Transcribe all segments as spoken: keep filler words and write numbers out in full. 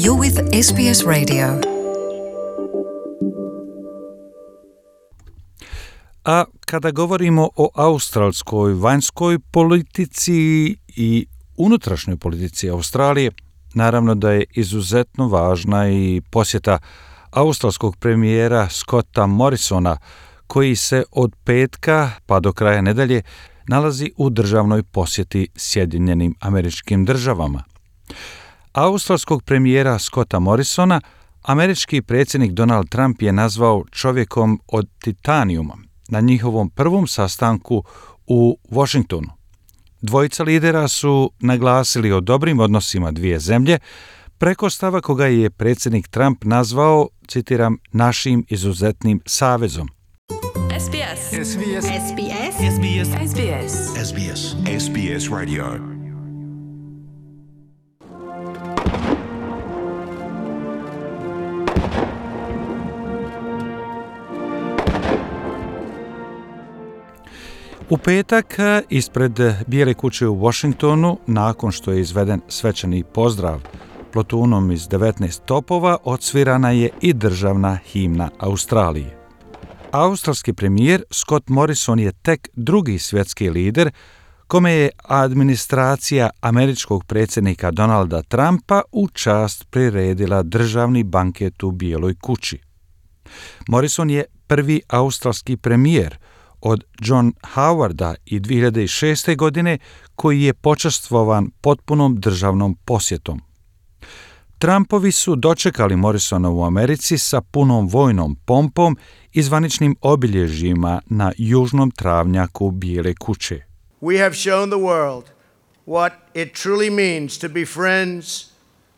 You're with S B S Radio. A kada govorimo o australskoj vanjskoj politici i unutrašnjoj politici Australije, naravno da je izuzetno važna i posjeta australskog premijera Scotta Morrisona, koji se od petka pa do kraja nedelje nalazi u državnoj posjeti Sjedinjenim Američkim Državama. Australskog premijera Scotta Morrisona američki predsjednik Donald Trump je nazvao čovjekom od titanijuma na njihovom prvom sastanku u Washingtonu. Dvojica lidera su naglasili o dobrim odnosima dvije zemlje preko stava koga je predsjednik Trump nazvao, citiram, našim izuzetnim savezom. S B S. S B S. S B S. S B S. S B S. S B S. S B S Radio. U petak ispred Bijele kuće u Washingtonu, nakon što je izveden svečani pozdrav plotunom iz devetnaest topova, odsvirana je i državna himna Australije. Australski premijer Scott Morrison je tek drugi svjetski lider kome je administracija američkog predsjednika Donalda Trumpa u čast priredila državni banket u Bijeloj kući. Morrison je prvi australski premijer od John Howarda i dvije hiljade šeste. godine koji je počastvovan potpunom državnom posjetom. Trumpovi su dočekali Morrisona u Americi sa punom vojnom pompom i zvaničnim obilježjima na južnom travnjaku Bijele kuće. We have shown the world what it truly means to be friends,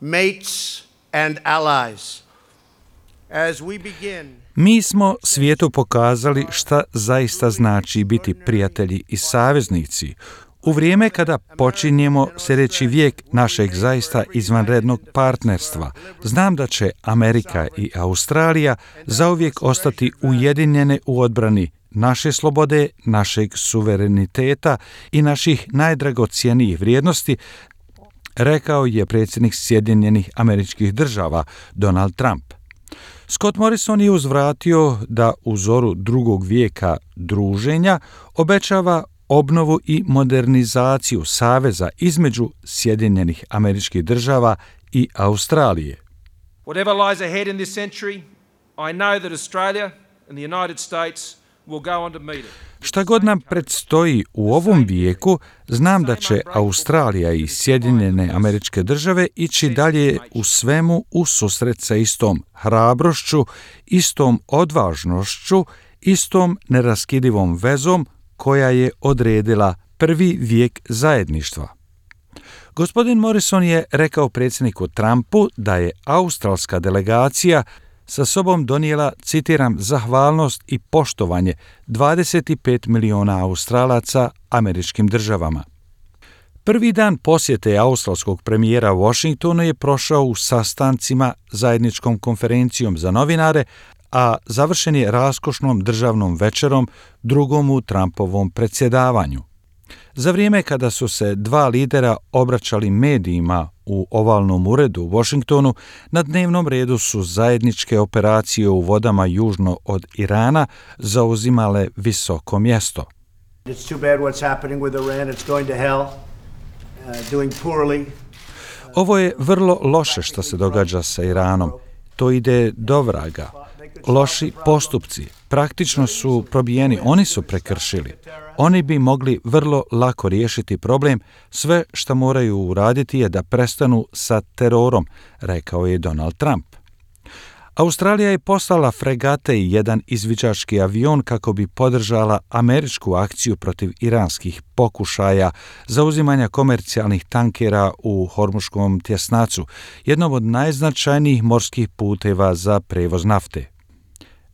mates and allies. As we begin Mi smo svijetu pokazali šta zaista znači biti prijatelji i saveznici u vrijeme kada počinjemo sljedeći vijek našeg zaista izvanrednog partnerstva. Znam da će Amerika i Australija zauvijek ostati ujedinjene u odbrani naše slobode, našeg suvereniteta i naših najdragocjenijih vrijednosti, rekao je predsjednik Sjedinjenih Američkih Država Donald Trump. Scott Morrison je uzvratio da u zoru drugog vijeka druženja obećava obnovu i modernizaciju saveza između Sjedinjenih Američkih Država i Australije. Whatever lies ahead in this century, I know that Australia and the United States will go on to meet it. Šta god nam predstoji u ovom vijeku, znam da će Australija i Sjedinjene Američke Države ići dalje u svemu u susret sa istom hrabrošću, istom odvažnošću, istom neraskidivom vezom koja je odredila prvi vijek zajedništva. Gospodin Morrison je rekao predsjedniku Trumpu da je australska delegacija sa sobom donijela, citiram, zahvalnost i poštovanje dvadeset pet miliona Australaca američkim državama. Prvi dan posjete australskog premijera Washingtonu je prošao u sastancima zajedničkom konferencijom za novinare, a završen je raskošnom državnom večerom drugom u Trumpovom predsjedavanju. Za vrijeme kada su se dva lidera obraćali medijima u ovalnom uredu u Washingtonu, na dnevnom redu su zajedničke operacije u vodama južno od Irana zauzimale visoko mjesto. it's too bad what's happening with Iran. It's going to hell. Uh, doing poorly. Ovo je vrlo loše što se događa sa Iranom. To ide do vraga. Loši postupci praktično su probijeni, oni su prekršili. Oni bi mogli vrlo lako riješiti problem, sve što moraju uraditi je da prestanu sa terorom, rekao je Donald Trump. Australija je poslala fregate i jedan izviđački avion kako bi podržala američku akciju protiv iranskih pokušaja zauzimanja komercijalnih tankera u Hormuškom tjesnacu, jednom od najznačajnijih morskih puteva za prevoz nafte.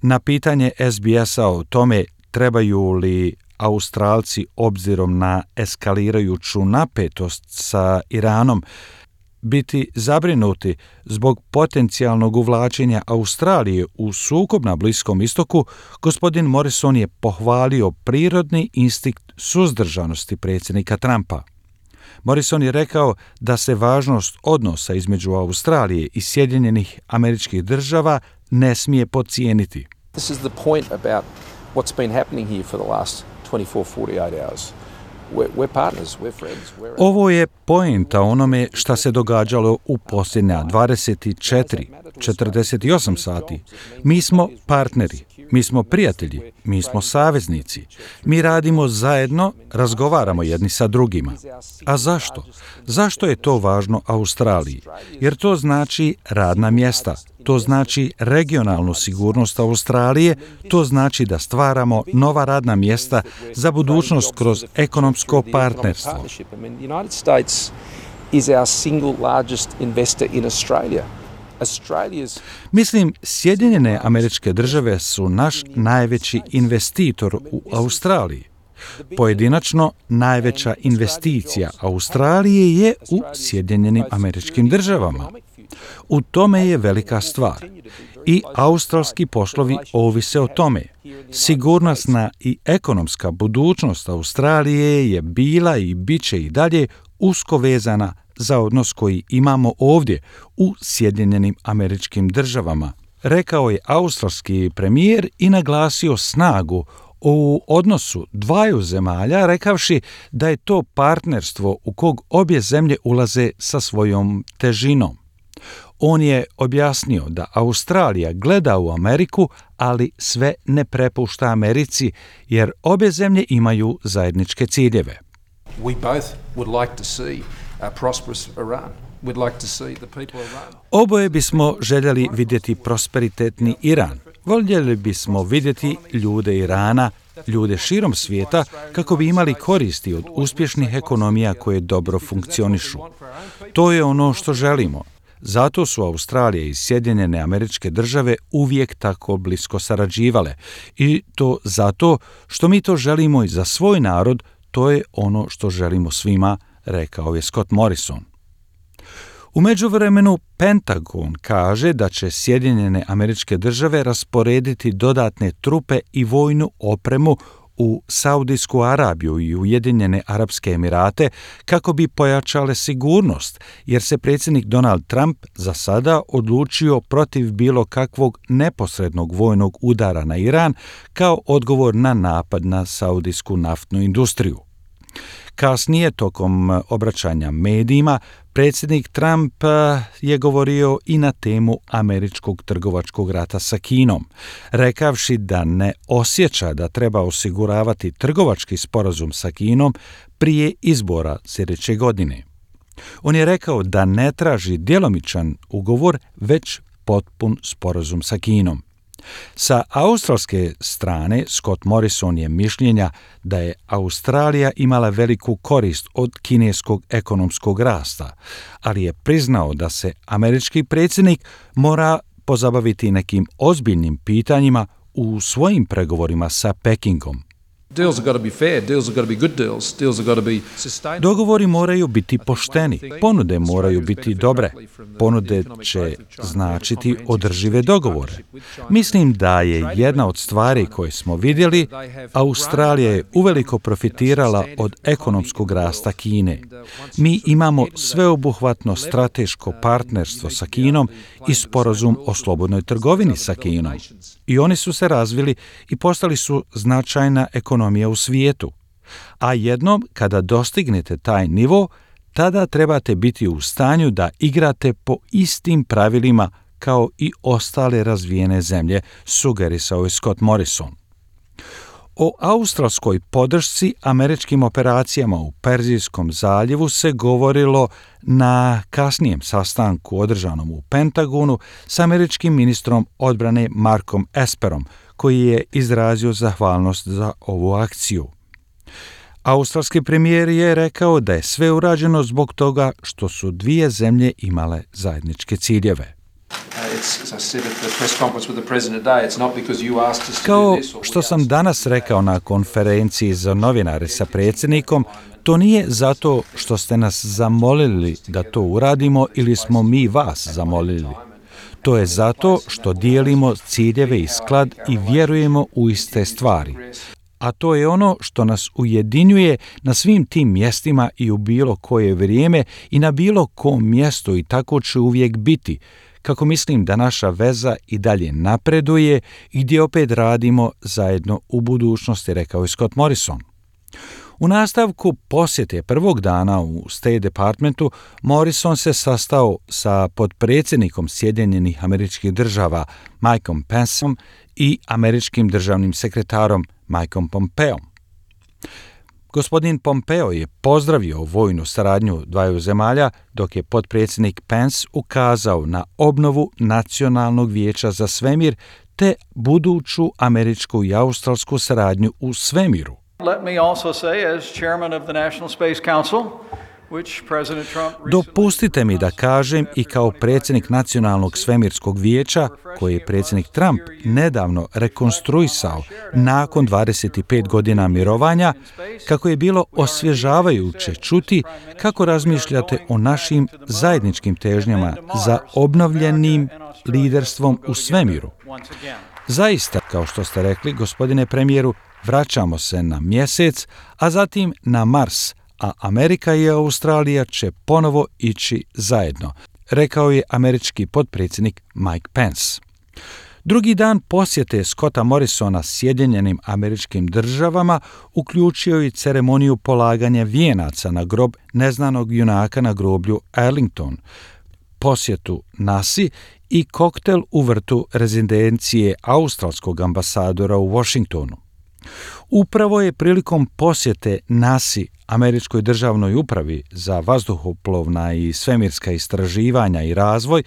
Na pitanje S B S-a o tome trebaju li Australci obzirom na eskalirajuću napetost sa Iranom biti zabrinuti zbog potencijalnog uvlačenja Australije u sukob na Bliskom istoku, gospodin Morrison je pohvalio prirodni instinkt suzdržanosti predsjednika Trumpa. Morrison je rekao da se važnost odnosa između Australije i Sjedinjenih Američkih Država ne smije podcijeniti. This is the point about what's been happening here for the last twenty-four, forty-eight hours. We're, we're partners, we're friends. We're... Ovo je poenta onome šta se događalo u posljednja dvadeset četiri, četrdeset osam sati. Mi smo partneri, mi smo prijatelji, mi smo saveznici. Mi radimo zajedno, razgovaramo jedni sa drugima. A zašto? Zašto je to važno Australiji? Jer to znači radna mjesta. To znači regionalnu sigurnost Australije, to znači da stvaramo nova radna mjesta za budućnost kroz ekonomsko partnerstvo. Mislim, Sjedinjene Američke Države su naš najveći investitor u Australiji. Pojedinačno, najveća investicija Australije je u Sjedinjenim Američkim Državama. U tome je velika stvar. I australski poslovi ovise o tome. Sigurnosna i ekonomska budućnost Australije je bila i bit će i dalje usko vezana za odnos koji imamo ovdje u Sjedinjenim Američkim Državama, rekao je australski premijer i naglasio snagu u odnosu dvaju zemalja, rekavši da je to partnerstvo u kog obje zemlje ulaze sa svojom težinom. On je objasnio da Australija gleda u Ameriku, ali sve ne prepušta Americi, jer obje zemlje imaju zajedničke ciljeve. We both would like to see a prosperous Iran. We'd like to see the people of Iran. Oboje bismo željeli vidjeti prosperitetni Iran. Voljeli bismo vidjeti ljude Irana, ljude širom svijeta, kako bi imali koristi od uspješnih ekonomija koje dobro funkcionišu. To je ono što želimo. Zato su Australija i Sjedinjene Američke Države uvijek tako blisko sarađivale. I to zato što mi to želimo i za svoj narod, to je ono što želimo svima, rekao je Scott Morrison. U međuvremenu Pentagon kaže da će Sjedinjene Američke Države rasporediti dodatne trupe i vojnu opremu u Saudijsku Arabiju i Ujedinjene Arapske Emirate kako bi pojačale sigurnost, jer se predsjednik Donald Trump za sada odlučio protiv bilo kakvog neposrednog vojnog udara na Iran kao odgovor na napad na saudijsku naftnu industriju. Kasnije, tokom obraćanja medijima, predsjednik Trump je govorio i na temu američkog trgovačkog rata sa Kinom, rekavši da ne osjeća da treba osiguravati trgovački sporazum sa Kinom prije izbora sljedeće godine. On je rekao da ne traži djelomičan ugovor, već potpun sporazum sa Kinom. Sa australske strane, Scott Morrison je mišljenja da je Australija imala veliku korist od kineskog ekonomskog rasta, ali je priznao da se američki predsjednik mora pozabaviti nekim ozbiljnim pitanjima u svojim pregovorima sa Pekingom. Deals have got to be fair, deals have got to be good deals, deals have got to be sustainable. Dogovori moraju biti pošteni, ponude moraju biti dobre. Ponude će značiti održive dogovore. Mislim da je jedna od stvari koje smo vidjeli, Australija je uveliko profitirala od ekonomskog rasta Kine. Mi imamo sveobuhvatno strateško partnerstvo sa Kinom i sporazum o slobodnoj trgovini sa Kinom. I oni su se razvili i postali su značajna ekonomija u svijetu. A jednom, kada dostignete taj nivo, tada trebate biti u stanju da igrate po istim pravilima kao i ostale razvijene zemlje, sugerisao je Scott Morrison. O australskoj podršci američkim operacijama u Perzijskom zaljevu se govorilo na kasnijem sastanku održanom u Pentagonu s američkim ministrom odbrane Markom Esperom, koji je izrazio zahvalnost za ovu akciju. Australski premijer je rekao da je sve urađeno zbog toga što su dvije zemlje imale zajedničke ciljeve. Kao što sam danas rekao na konferenciji za novinare sa predsjednikom, to nije zato što ste nas zamolili da to uradimo ili smo mi vas zamolili. To je zato što dijelimo ciljeve i sklad i vjerujemo u iste stvari. a to je ono što nas ujedinjuje na svim tim mjestima i u bilo koje vrijeme i na bilo kom mjestu i tako će uvijek biti, kako mislim da naša veza i dalje napreduje i gdje opet radimo zajedno u budućnosti, rekao je Scott Morrison. U nastavku posjete prvog dana u State Departmentu, Morrison se sastao sa potpredsjednikom Sjedinjenih Američkih Država Mikeom Penceom i američkim državnim sekretarom Mikeom Pompeom. Gospodin Pompeo je pozdravio vojnu saradnju dvaju zemalja, dok je potpredsjednik Pence ukazao na obnovu Nacionalnog vijeća za svemir te buduću američku i australsku saradnju u svemiru. Let me also say, as chairman of the National Space Council, which President Trump recently... Dopustite mi da kažem i kao predsjednik Nacionalnog svemirskog vijeća, koji je predsjednik Trump nedavno rekonstruisao nakon dvadeset pet godina mirovanja, kako je bilo osvježavajuće čuti kako razmišljate o našim zajedničkim težnjama za obnovljenim liderstvom u svemiru. Zaista, kao što ste rekli, gospodine premijeru, vraćamo se na mjesec, a zatim na Mars, a Amerika i Australija će ponovo ići zajedno, rekao je američki potpredsjednik Mike Pence. Drugi dan posjete Scotta Morrisona Sjedinjenim Američkim Državama uključio i ceremoniju polaganja vijenaca na grob neznanog junaka na groblju Arlington, posjetu nasi i koktel u vrtu rezidencije australskog ambasadora u Washingtonu. Upravo je prilikom posjete nasi, američkoj državnoj upravi za vazduhoplovna i svemirska istraživanja i razvoj,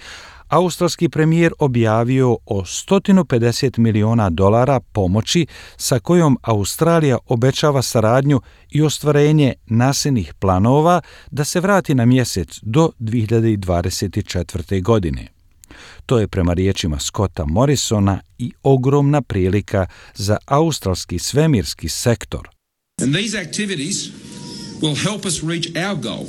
australski premijer objavio o sto pedeset miliona dolara pomoći sa kojom Australija obećava saradnju i ostvarenje nasinih planova da se vrati na mjesec do dvije hiljade dvadeset četvrte. godine. To je prema riječima Scotta Morrisona i ogromna prilika za australski svemirski sektor. And these activities will help us reach our goal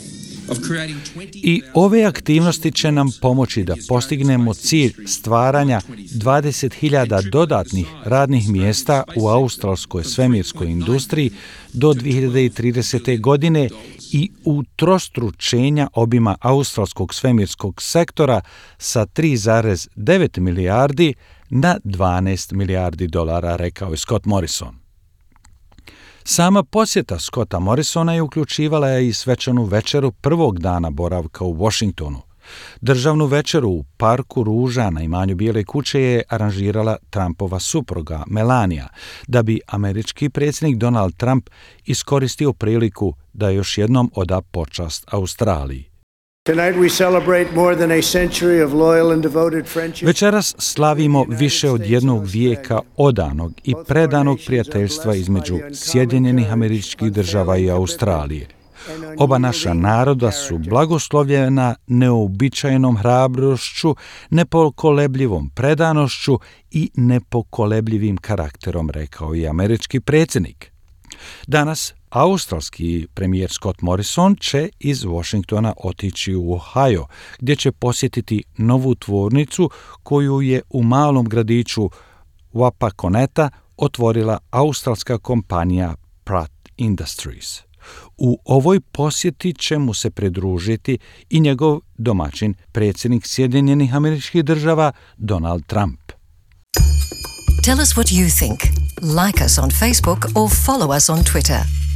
of creating I ove aktivnosti će nam pomoći da postignemo cilj stvaranja dvadeset hiljada dodatnih radnih mjesta u australskoj svemirskoj industriji do dvije hiljade tridesete. godine i utrostručenja obima australskog svemirskog sektora sa tri zarez devet milijardi na dvanaest milijardi dolara, rekao je Scott Morrison. Sama posjeta Scotta Morrisona je uključivala i svečanu večeru prvog dana boravka u Washingtonu. Državnu večeru u Parku ruža na imanju Bijele kuće je aranžirala Trumpova supruga Melania, da bi američki predsjednik Donald Trump iskoristio priliku da još jednom oda počast Australiji. Večeras slavimo više od jednog vijeka odanog i predanog prijateljstva između Sjedinjenih Američkih Država i Australije. Oba naša naroda su blagoslovljena neobičajnom hrabrošću, nepokolebljivom predanošću i nepokolebljivim karakterom, rekao je američki predsjednik. Danas australski premijer Scott Morrison će iz Washingtona otići u Ohio, gdje će posjetiti novu tvornicu koju je u malom gradiću Wapakoneta otvorila australska kompanija Pratt Industries. U ovoj posjeti će mu se pridružiti i njegov domaćin, predsjednik Sjedinjenih Američkih Država Donald Trump. Tell us what you think. Like us on Facebook or follow us on Twitter.